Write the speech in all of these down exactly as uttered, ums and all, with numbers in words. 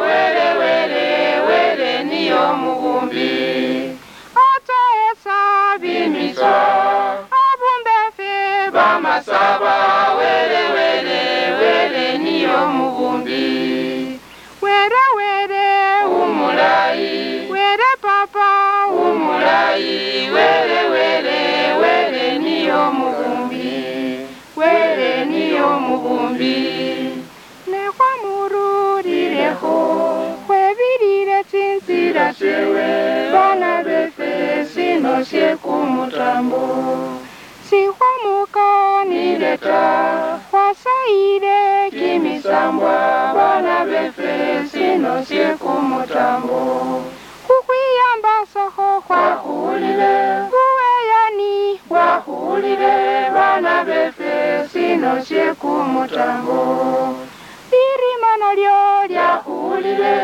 Wele, wele, wele niye omubumbi. Otoesa bimiswa. Abumbefe bamasaba. Wele, wele, wele niye omubumbi. Wele, wele umulayi. Wele papa umulayi. Wele, wele, wele niye omubumbi. Wele niye omubumbi. Ne khwamurulilekho, khwebilile tsintsila tsiewe, bana befe, sino sie kumutambo. Sikhwamukanile ta, khwasayile kimisambwa, bana befe, sino sie kumutambo. Khukhwiyambasakho khwakhuulile, buweyani bwakhuulile, bana befe, sino sie kumutambo. Lirima nalio lyakhuulile,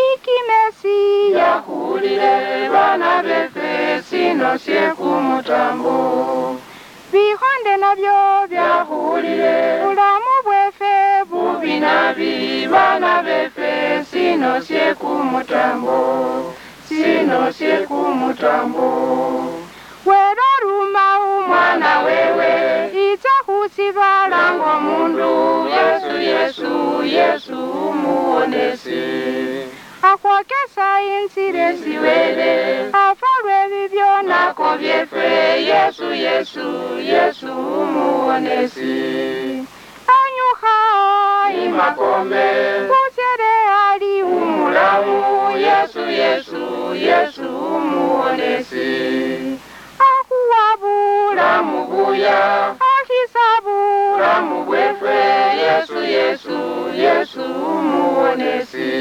ikimesi yakhuulile, bana befe, sino sie kumutambo. Bikhonde nabio byakhulile, bulamu bwefe bubi nabi, bana befe, sino sie kumutambo, sino sie kumutambo. Wele oruma umwana wewe, itsa khusibalango mundu, Yesu, Yesu, Yesu umuwonesi. Akhwokesa inzila esiwele, afalwe bibyo nako byefe, Yesu, Yesu, Yesu umuwonesi. Anyukha imakombe, butsele ali umulamu, Yesu, Yesu, Yesu umuwonesi. Akhuwa bulamu buya, akhisa bulamu bwefe, Yesu, Yesu, Yesu umuwonesi.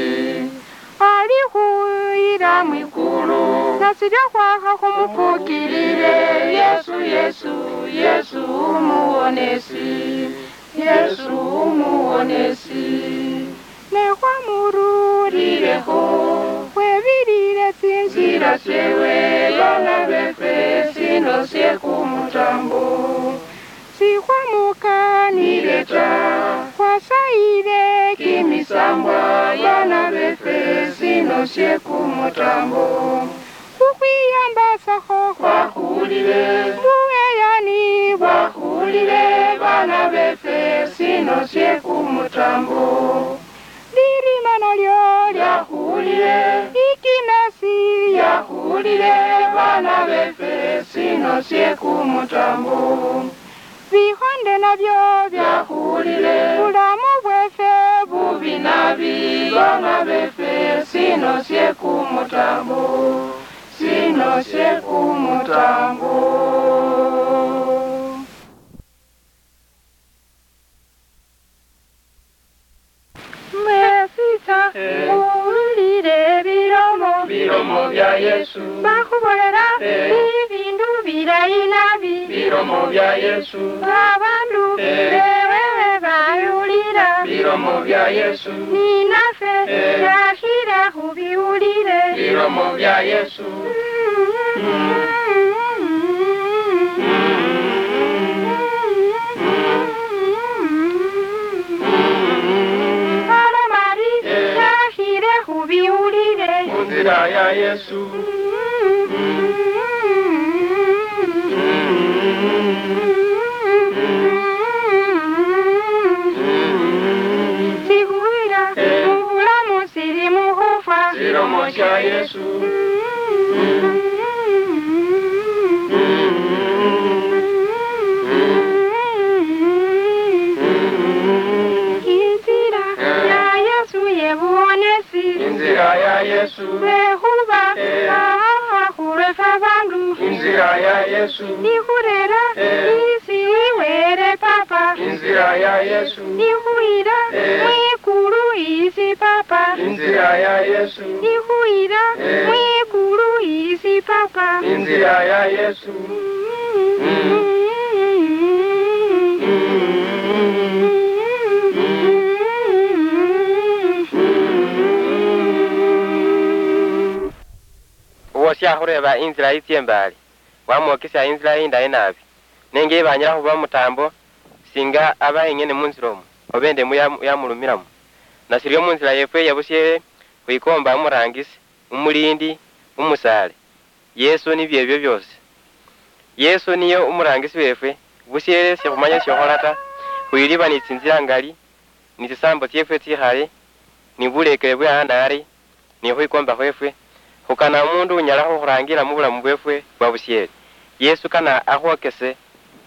Ali khuyila mwikulu, nasirya khwakha khumupukilile, Yesu, Yesu, Yesu umuwonesi. Yesu umuwonesi. Ne khwamurulilekho, khwebilile tsinzila tsiewe, bana befe, sino sie kumutambo. Sikhwamukanile ta, khwasayile kimisambwa, bana befe, sino sie kumutambo. Khukhwiyambasakho khwakhulile, buweyani bwakhulile, bana befe, sino sie kumutambo. Lirima nalio lyakhulile, ikimesi yakhulile, bana befe, sino sie kumutambo. Bikhonde nabio byakhulile, bulamu bwefe bubi nabi, bana befe, sino sie kumutambo, sino sie kumutambo. Mwesitsa, eh, muwulire bilomo, bilomo bya Yesu. Bakhubolera, eh, ibindu bilayi nabi, bilomo bya Yesu. Babandu, eh, bewewe bayulira, bilomo bya Yesu. Ninafe, eh, yakhira khubiwulire, bilomo bya Yesu. Alomari, yakhire khubiwulire. Munzira ya Yesu. Sikhwira mubulamu sili mukhufwa. Silomo sia Yesu. Inzira ya Yesu ye buwonesi. Inzira ya Yesu. Lwekhuba, eh, ahaha khulwe fwe bandu. Inzira ya Yesu. Ikhurera, eh, isi Wele Papa. Inzira ya Yesu. Ikhuyira, eh, mwikulu isi Papa. Inzira ya Yesu. Ikhuyira, eh, mwikulu isi Papa. Inzira ya Yesu. Uwo siakhureba inzila itsie mbali, wamwokesya inzila indayi naabi. Nenge iba anyala khuba mutaambo, singa aba eng'ene munzila omwo, oba endemu ya, yamulumiramo. Nasirio munzila yefwe yabushiere khwikomba umurangisi, umulindi, umusaale, Yesu nibio ebio biosi. Yesu niye umurangisi wefwe, bushiere shikhumanya shiokhola ta, khwiliba ni tsinzila ngali, ni tsisambo tsiefwe tsikhale, ni bulekele bwe anari, ni khwikomba khwefwe, khukana umundu unyala khukhurangila mubulamu bwefwe bwa bushiere. Yesu kana akhwokese,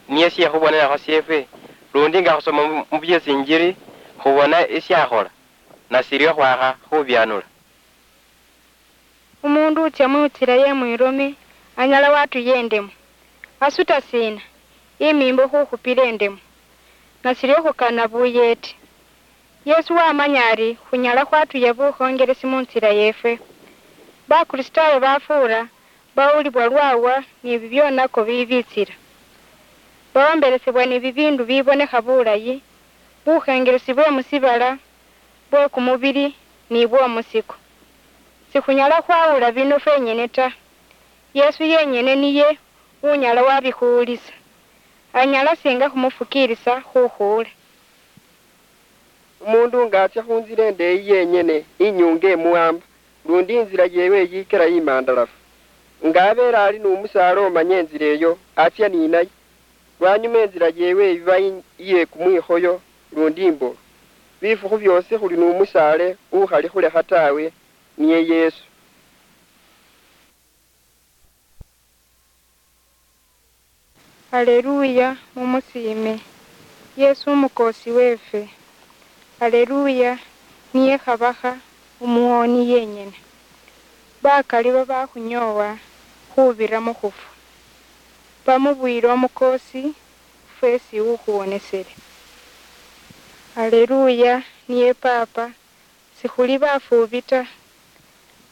niye shiekhubonerakho shiefwe, lundi nga khusoma mu, mu byesinjili, khubona eshiakhola, nasirio khwakha khubianula. Umundu utsia munzila ye mwirome anyala watuya endemo. Asuta sina? Imimbo khukhupila endemo. Nasirio khukana buyeti. Yesu wamanya ari khunyala khwatuya bukhongelesi munzila yefwe. Bakristayo bafuura bawulibwa lwawa ni bibionako bibitsila. Baomberesebwa ni bibindu bibonekha bulayi, bukhengelesi bwe musibala, bwe kumubili ni bwomusiko. Sikhunyala khwawula bino fwenyene ta. Yesu yenyene niye unyala wabikhuwulisa. Anyala singa khumufukiilisa khukhuula. Umundu nga atsia khunzila endeeyi yenyene, inyunga emuwamba, lundi inzila yeewe yiikira imandalafu. Nga abeele ali nu musaala omanya inzila eyo, atsia ninaye. Lwanyuma inzila yeewe iba i-, iye kumwikhoyo, lundi imbulu. Bifukhu byoosi khuli nu musaale ukhali khulekha tawe, niye Yesu. Aleluya, mumusiime Yesu umukoosi weefwe. Aleluya, niye Khabakha umuwooni yenyene. Bakali babakhunyoowa khubira mu khufwa, bamubuyile omukoosi fwesi ukhuwonesele. Aleluya, niye Paapa, sikhuli bafuubi ta,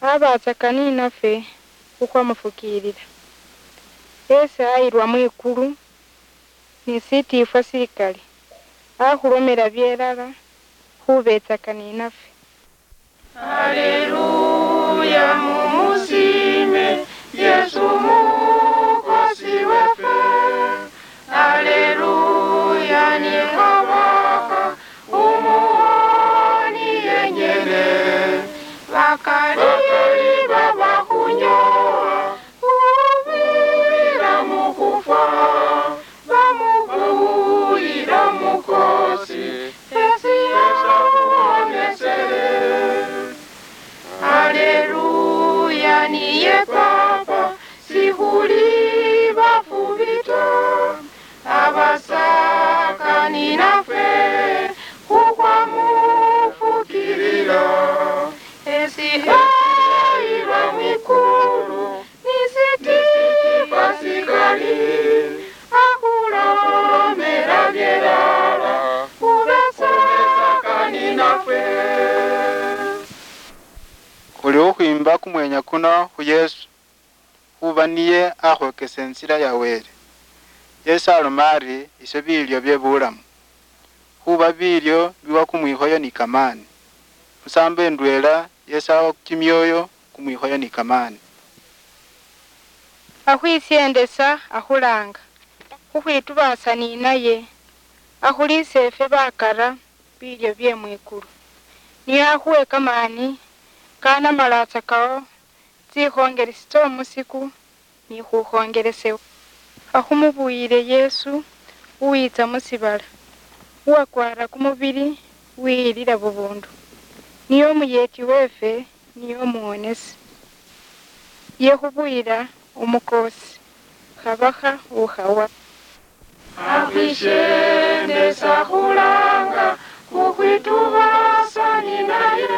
abatsaka ninafwe khukhwamufukiilila. Esi ayilwa mwikulu ni sitiifwa sikali, akhulomela byelala khubetsaka ninafwe. Haleluya, mumusiime Yesu Mukosi wefe. Haleluya, ni Khabakha umuwoni yenyene. Bakali, bakali babakhunyowa khubira mukhufwa, bamubuyila mukosi, esi akhuwonesele. Haleluya, niye Papa, sikhuli bafubi ta, abasaka ninafwe khukhwamufukilila. Esi ayilwa mwikulu, ni sitiifwa sikali, akhulomela byelala, khubetsaka ninafwe. Khuli khukhwimba kumwenya kuno khu Yesu, khuba niye akhwokesa inzila ya Wele. Yesu aloma ari, "Isie bilyo bye bulamu." Khuba bilyo biwa kumwikhoyo ni kamaani. Musambo endweela Yesu awa kimioyo kumwikhoyo ni kamaani. Akhwisiendesa akhulanga, khukhwitubaasa ninaye, akhuliise efwe bakara bilyo bye mwikulu. Niye akhuwe kamaani kanamalaatsa kao tsikhongelesi tsiomusiku ni khukhongelesewo. Akhumubuyile Yesu uwitsa musibala, uwakwara kumubili wiyilila bubundu, niye omuyeti wefe, niye omuwonesi. Yekhubuyila omukoosi, Khabakha ukhawa. Akhwishendesa khulanga khukhwitubaasa ninaye,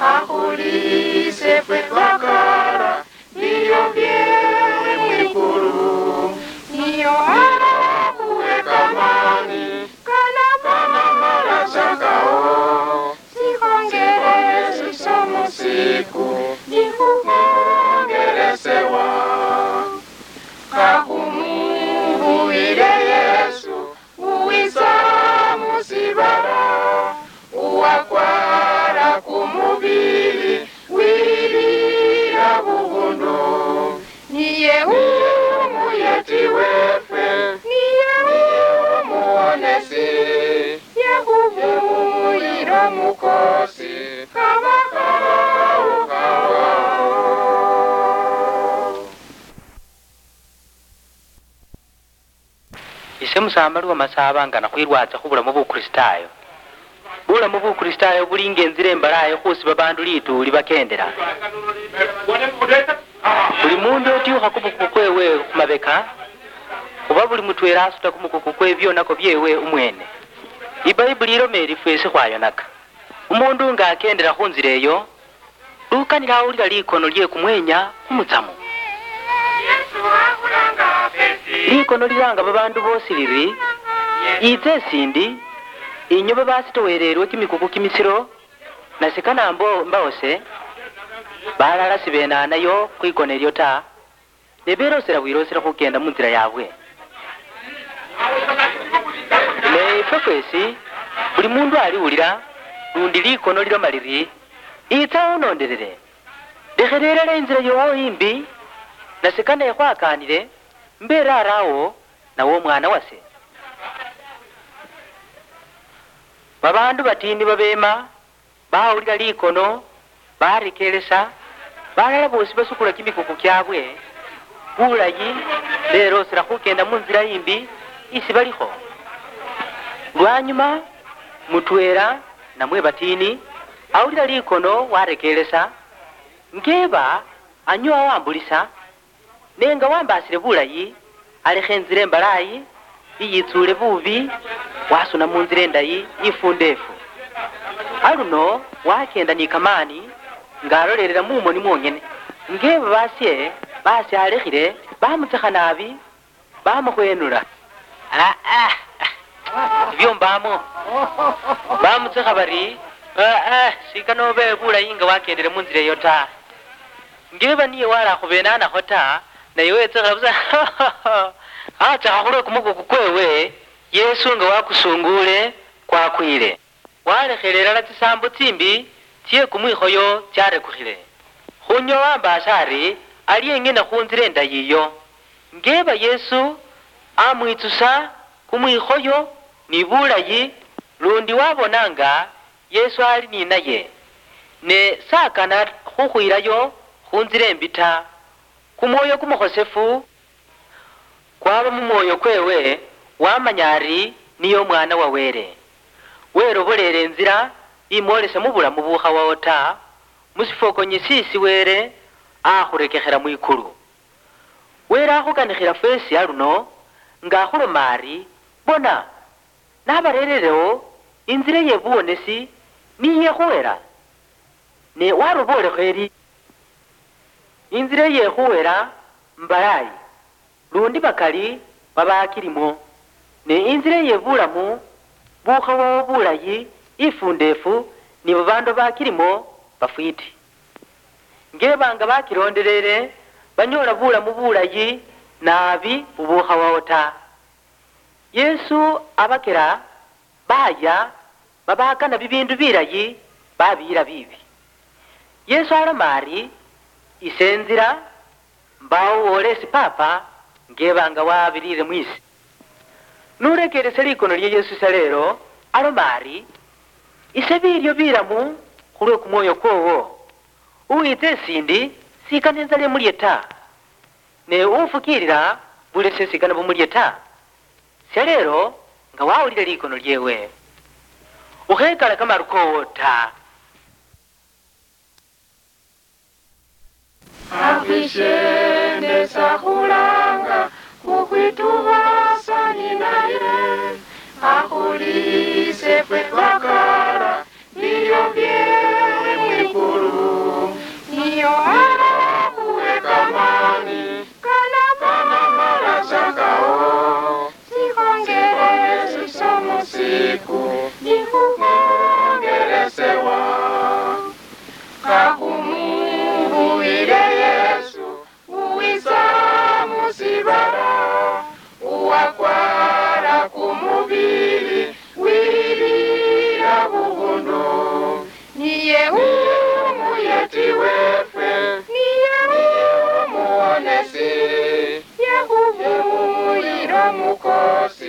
akhuliise fwe bakara bilyo bye mwikulu. Niyo akhuwe kamaani kanamalaatsa kao tsikhongelesi tsiomusiku ni khukhongelesewa. Akhumubuyile Yesu uwitsa musibala, uwakwara kumubili wilila bubundu. Niye umuyeti wefe, niye umuwonesi, yekhubuyila omuko Ise Musamba lwa Masaba nga nakhwirwatsa khu bulamu Bukristaayo. Bulamu Bukristaayo buli nga inzila imbalayi khusi babaandu lituuli bakendela. Buli muundu otyuukha kumukuku kweewe khu mabeka, khuba buli mutweela asuta kumukuku kwe byoonako byeewe umweene. Ibaibuli iloma iri fweesi khwayonaka. Umuundu nga akendela khu nzila eyo, lukanile awulila likono lye kumweenya kumutsamu. Likono lilaanga babaandu boosi liri, "Yiitse isiindi, inywe babasitoweeleelwe kimikuku kimisiro, na sikana mbo-, mbawose." Balala sibenaanayo khwikono elyo ta, ne beloosela bwilooselo khukeenda mu nzila yaabwe. Ne ifwe fweesi, buli muundu aliwulila, lundi likono liloma liri, "Itsa unondelele, lekhelela inzila yoowo imbi, nase kane khwakaanile, mbe raarawo, nawe omwana wase." Babaandu batiini babeema, bawulila likono, barekeelesa, balala boosi basukula kimikuku kyaabwe bulayi, beloosela khukeenda mu nzila imbi isi balikho. Lwanyuma, mutweela namwe batiini awulila likono warekeelesa, ngeeba anyoowa wambulisa, ne nga wambaasile bulayi, alekha inzila imbalayi, iyitsuule buubi, wasuna mu nzila indayi ifundeefu. Aluno wakeenda ni kamaani, nga alolelela mu moni mwongene, nge babaasye basyalekhile, bamutsekha naabi, bamukhwenula. Ah, ah, ah. Ibyo mbaamo. Bamutsekha bari, "Ah, ah, sikana obe bulayi nga wakendele mu nzila eyo ta." Ngeba niye walakhubenanakho ta, naye wetsekhela busa, atsekha khulwe kumukuku kwewe, Yesu nga wakusunguule, kwakwile. Walekheele ilala tsisaambo tsimbi tsie kumwikhoyo tsyarekukhile. Khunywe wambaasa ari, ali eng'ene khu nzila indayi iyo. Ngeeba Yesu amwitsusa kumwikhoyo ni bulayi, lundi wabona nga Yesu ali ninaye, ne sakana khukhwilayo khunzila embi ta. Kumwoyo kumukhosefu kwaba mumwoyo kwewe, wamanya ari niye Omwana wa Wele. Welobolela inzila imwolesa mubulamu bukhawawo ta, musifokonyi sisi Wele akhurekekhela mwikulu. Wele akhukanikhila fwesi aluno, nga akhuloma ari, "Bona, nabarererewo inzila ye buwonesi niye khuwela." Ne waroboolekho eri, "Inzila ye khuwela mbalayi, lundi bakali babakilimo, ne inzila ye bulamu bukhawawo bulayi ifundefu, ni babandu bakilimo bafwiti. Ngeba nga bakilondelele, banyoola bulamu bulayi naabi bubukhawawo ta." Yesu abakela baaya babakana bibiindu bilayi babiyila biibi. Yesu aloma ari, "Ise inzila, mbaawo woola esi Paapa ngeba nga wabirire mwise." Nurekeelese likono lya Yesu sya leelo, aloma ari, "Ise biilyo bilamu khulwe kumwoyo kwoowo. Uwiitsa esiindi, sikana inzala imulye ta, ne ufukiilila bulese sikana bumulye ta." Sya leelo, nga wawulile likono lyeewe, ukhekala kamaru koowo ta. Akhwishendesa khulanga khukhwitubaasa ninaye, akhuliise fwe bakala bilyo bye mwikulu. Niyo akhuwe kamani kana kanamala chakawo, sikhongele siso musiku nikhukhongelesewa. Kakhumubuwile Yesu, uwitsa musibala, uwakwara kumubili wilila buhundu. Niye umuyeti wefwe, niye umuwonesi, ye khubuyila omukosi.